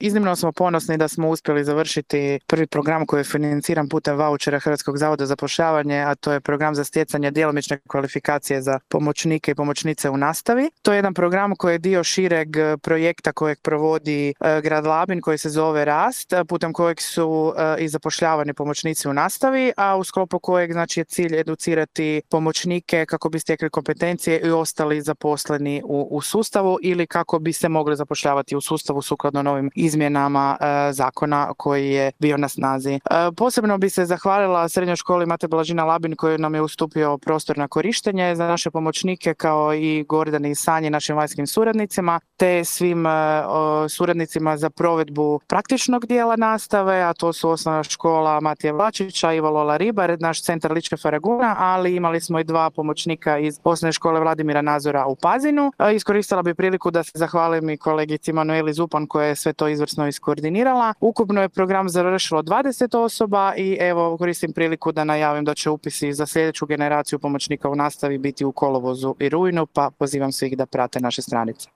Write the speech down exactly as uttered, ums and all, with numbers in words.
Iznimno smo ponosni da smo uspjeli završiti prvi program koji je financiran putem vaučera Hrvatskog zavoda za zapošljavanje, a to je program za stjecanje djelomične kvalifikacije za pomoćnike i pomoćnice u nastavi. To je jedan program koji je dio šireg projekta kojeg provodi grad Labin koji se zove Rast, putem kojeg su i zapošljavani pomoćnici u nastavi, a u sklopu kojeg znači je cilj educirati pomoćnike kako bi stekli kompetencije i ostali zaposleni u, u sustavu ili kako bi se mogli zapošljavati u sustavu sukladno novim izmjenama e, zakona koji je bio na snazi. E, posebno bi se zahvalila Srednjoj školi Mate Blažina Labin koji nam je ustupio prostor na korištenje za naše pomoćnike kao i Gordani i Sanji, našim vanjskim suradnicima, te svim e, suradnicima za provedbu praktičnog dijela nastave, a to su osnovna škola Matije Vlačića, Ivo Lola Ribar, naš centar Lička Faraguna, ali imali smo i dva pomoćnika iz osnovne škole Vladimira Nazora u Pazinu. E, iskoristila bi priliku da se zahvalim i kolegici Manueli Zupan koja je sve to izvrsno iskoordinirala. Ukupno je program završilo dvadeset osoba i evo koristim priliku da najavim da će upisi za sljedeću generaciju pomoćnika u nastavi biti u kolovozu i rujnu, pa pozivam svih da prate naše stranice.